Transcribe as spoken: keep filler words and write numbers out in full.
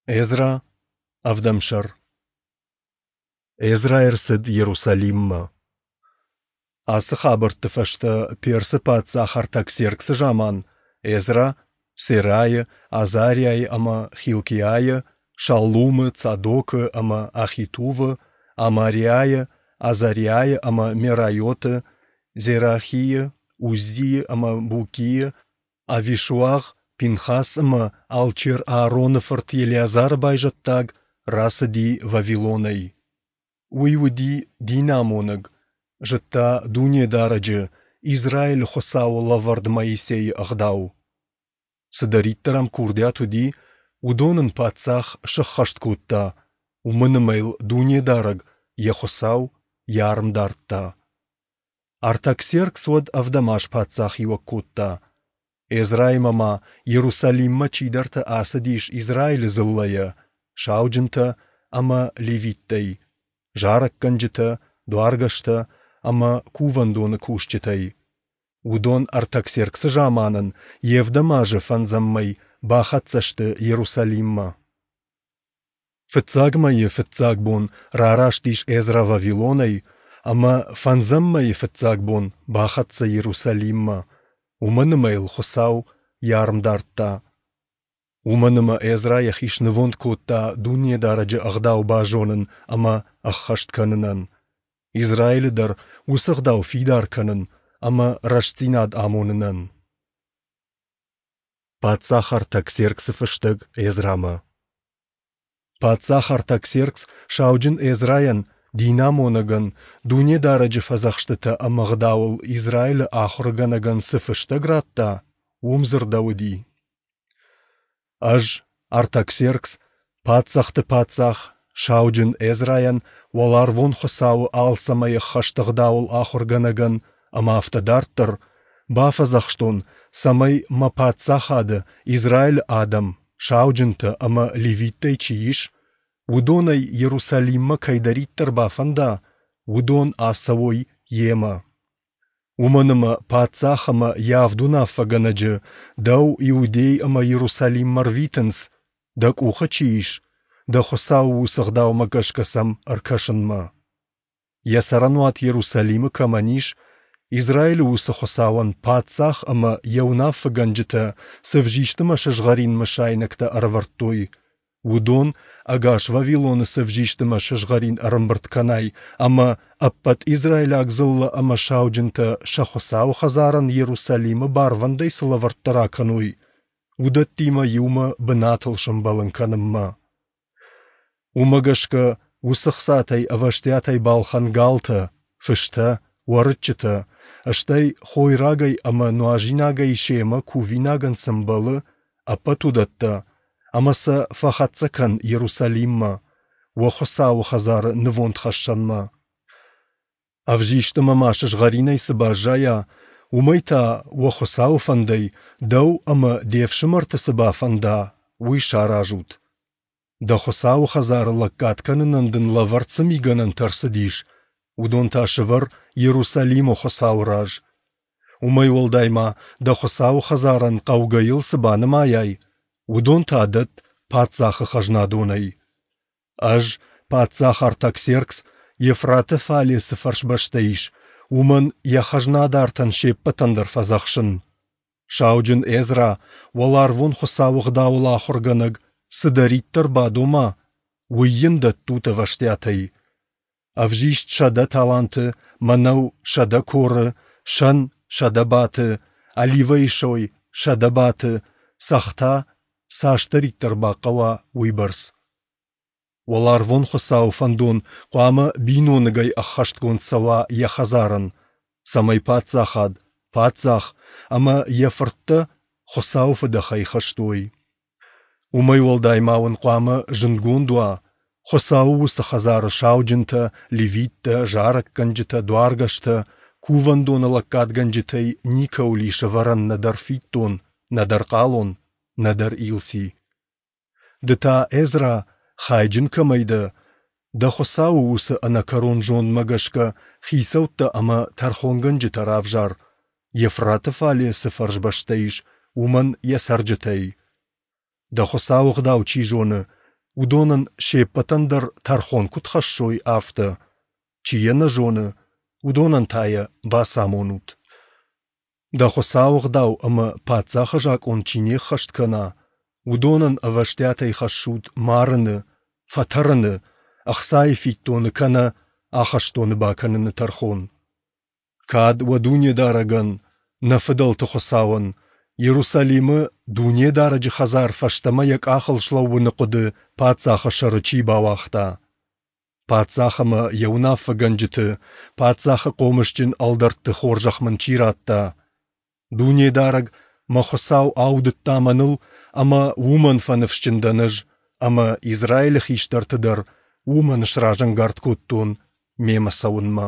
Эзра, ӕвдӕм сӕр. Эзра ӕрцыд Иерусалиммӕ. Ацы хабӕртты фӕстӕ Персы паддзах Артаксерксы заман Эзра, Серайы, Азариайы ӕмӕ Хилкиайы, Шаллумы, Цадокы ӕмӕ Ахитувы, Амариайы, Азариайы ӕмӕ Мерайоты, Зерахийы, Уззийы ӕмӕ Букийы, Авишуагъ, Пинхас ӕмӕ алчер Аароны фырт Елеазары байзӕддаг, рацыди Вавилонӕй. Уый уыди динамонӕг, зыдта Дунедарӕджы, Израилы Хуыцауы лӕвӕрд Моисейы Ӕгъдау. Цыдӕриддӕр ӕм курдиат уыди, уыдон ын паддзах сӕххӕст кодта, уымӕн ӕмӕ йыл Дунедарӕг, йӕ Хуыцау, йӕ арм дардта. Артаксеркс уӕд ӕвдӕм аз паддзахиуӕг кодта. Эзраимӕ ма Иерусалиммӕ чидӕртӕ ацыдис Израилы дзыллӕйӕ, сауджынтӕ ӕмӕ левиттӕй, зарӕггӕнджытӕ, дуаргӕстӕ ӕмӕ кувӕндоны кусджытӕй. Уыдон Артаксерксы заманӕн йе вдӕм азы фӕндзӕм мӕй бахӕццӕ сты Иерусалиммӕ. Фыццаг мӕйы фыццаг бон рараст ис Эзра Вавилонӕй ӕмӕ фӕндзӕм мӕйы фыццаг бон бахӕццӕ Иерусалиммӕ, уымӕн ӕмӕ йыл Хуыцау йӕ арм дардта. Уымӕн ӕмӕ Эзра йӕхи снывонд кодта Дунедарӕджы Ӕгъдау базонын ӕмӕ ӕххӕст кӕнынӕн, Израилы дӕр уыцы ӕгъдау фидар кӕнын ӕмӕ рӕстдзинад амонынӕн. Паддзах Артаксерксы фыстӕг Эзрамӕ. Паддзах Артаксеркс сауджын Эзрайӕн, динамонӕгӕн, Дунедарӕджы фӕдзӕхстытӕ ӕмӕ ӕгъдауыл Израилы ахуыргӕнӕгӕн цы фыстӕг радта, уым дзырдӕуыди: Ӕз, Артаксеркс, паддзӕхты паддзах, сауджын Эзрайӕн, уӕларвон Хуыцауы алцӕмӕй ӕххӕст ӕгъдауыл ахуыргӕнӕгӕн ӕмӕ афтӕ дарддӕр, бафӕдзӕхстон, цӕмӕй мӕ паддзахады Израилы адӕм, сауджынтӕ ӕмӕ левиттӕй чи ис, уыдонӕй Иерусалиммӕ кӕйдӕриддӕр бафӕнда, уыдон ацӕуой йемӕ. Уымӕн ӕмӕ паддзах ӕмӕ йӕ авд уынаффӕгӕнӕджы дӕу Иудей ӕмӕ Иерусалиммӕ рвитынц, дӕ къухы чи ис, дӕ Хуыцауы уыцы ӕгъдаумӕ гӕсгӕ сӕм ӕркӕсынмӕ. Йӕ цӕрӕнуат Иерусалимы кӕмӕн ис, Израилы уыцы Хуыцауӕн паддзах ӕмӕ йӕ уынаффӕгӕнджытӕ цы ӕвзист ӕмӕ сызгъӕрин мысайнӕгтӕ ӕрӕвӕрдтой, уыдон ӕгас Вавилоны цы ӕвзист ӕмӕ сызгъӕрин ӕрӕмбырд кӕнай ӕмӕ ӕппӕт израилаг дзыллӕ ӕмӕ сауджынтӕ сӕ Хуыцауы хӕдзарӕн Иерусалимы барвӕндӕй цы лӕвӕрттӕ ракӕной, уыдӕттимӕ иумӕ бынатыл сӕмбӕлын кӕнынмӕ. Уымӕ гӕсгӕ уыцы хцатӕй ӕвӕстиатӕй балхӕн галтӕ, фыстӕ, уӕрыччытӕ, стӕй хойрагӕй ӕмӕ нуазинагӕй семӕ кувинагӕн цы мбӕлы, ӕппӕт уыдӕттӕ, ӕмӕ сӕ фӕхӕццӕ кӕн Иерусалиммӕ, уӕ Хуыцауы хӕдзары нывондхӕссӕнмӕ. Ӕвзист ӕмӕ ма сызгъӕринӕй цы баззайа, уымӕй та уӕ Хуыцауы фӕндӕй дӕу ӕмӕ де фсымӕрты цы бафӕнда, уый саразут. Дӕ Хуыцауы хӕдзары лӕггад кӕнынӕн дын лӕвӕрд цы мигӕнӕнтӕ ӕрцыдис, уыдон та сӕвӕр Иерусалимы Хуыцауы раз. Уымӕй уӕлдай ма дӕ Хуыцауы хӕдзарӕн хъӕугӕйыл цы банымайай, уыдон та дӕтт паддзахы хӕзнадонӕй. Ӕз, паддзах Артаксеркс, Евфраты фале цы фӕрсбӕстӕ ис, уымӕн йӕ хӕзнадартӕн се ппӕтӕн дӕр фӕдзӕхсын. Сауджын Эзра, уӕларвон Хуыцауы ӕгъдауыл ахуыргӕнӕг, цыдӕриддӕр бадома, уый йын дӕттут ӕвӕстиатӕй. Ӕвзист сӕдӕ таланты, мӕнӕу сӕдӕ коры, сӕн сӕдӕ баты, оливӕйы сой сӕдӕ баты, цӕхх цасдӕриддӕр бахъӕуа, уыйбӕрц. Уӕларвон Хуыцауы фӕндон хъуамӕ биноныгӕй ӕххӕстгонд цӕуа йӕ хӕдзарӕн, цӕмӕй паддзахад, паддзах ӕмӕ йӕ фырттӕ Хуыцауы фыдӕхӕй хызт уой. Уымӕй уӕлдай ма уын хъуамӕ зындгонд уа, Хуыцауы уыцы хӕдзары сауджынтӕ, левиттӕ, зарӕггӕнджытӕ, дуаргӕстӕ, кувӕндоны лӕггадгӕнджытӕй никӕуыл ис ӕвӕрӕн нӕдӕр фиддон, нӕдӕр хъалон, нӕдӕр илци. Ды та, Эзра, хайджын кӕмӕй дӕ, дӕ Хуыцауы уыцы ӕнӕкӕрон зондмӕ гӕсгӕ хицӕуттӕ ӕмӕ тӕрхонгӕнджытӕ равзар, Евфраты фале цы фӕрсбӕстӕ ис, уымӕн йӕ цӕрджытӕй. Дӕ Хуыцауы ӕгъдау чи зоны, уыдонӕн се ппӕтӕн дӕр тӕрхон куыд хӕссой, афтӕ, чи йӕ нӕ зоны, уыдонӕн та йӕ бацамонут. Дӕ Хуыцауы ӕгъдау ӕмӕ паддзахы закъон чи не ххӕст кӕна, уыдонӕн ӕвӕстиатӕй хӕссут марыны, фӕтӕрыны, ӕхцайы фиддоны кӕнӕ ахӕстоны бакӕныны тӕрхон. Кад уӕ Дунедарӕгӕн, нӕ фыдӕлты Хуыцауӕн, Иерусалимы Дунедарӕджы хӕдзар фӕстӕмӕ йӕ къахыл слӕууыны хъуыды паддзахы сӕры чи бауагъта. Паддзах ӕмӕ йӕ уынаффӕгӕнджыты, паддзахы хъомысджын ӕлдӕртты хорзӕх мын чи радта. Дунедарӕг, мӕ Хуыцау, аудыдта мӕныл, ӕмӕ уымӕн фӕныфсджын дӕн ӕз ӕмӕ Израилы хистӕрты дӕр уымӕн сразӕнгард кодтон мемӕ цӕуынмӕ.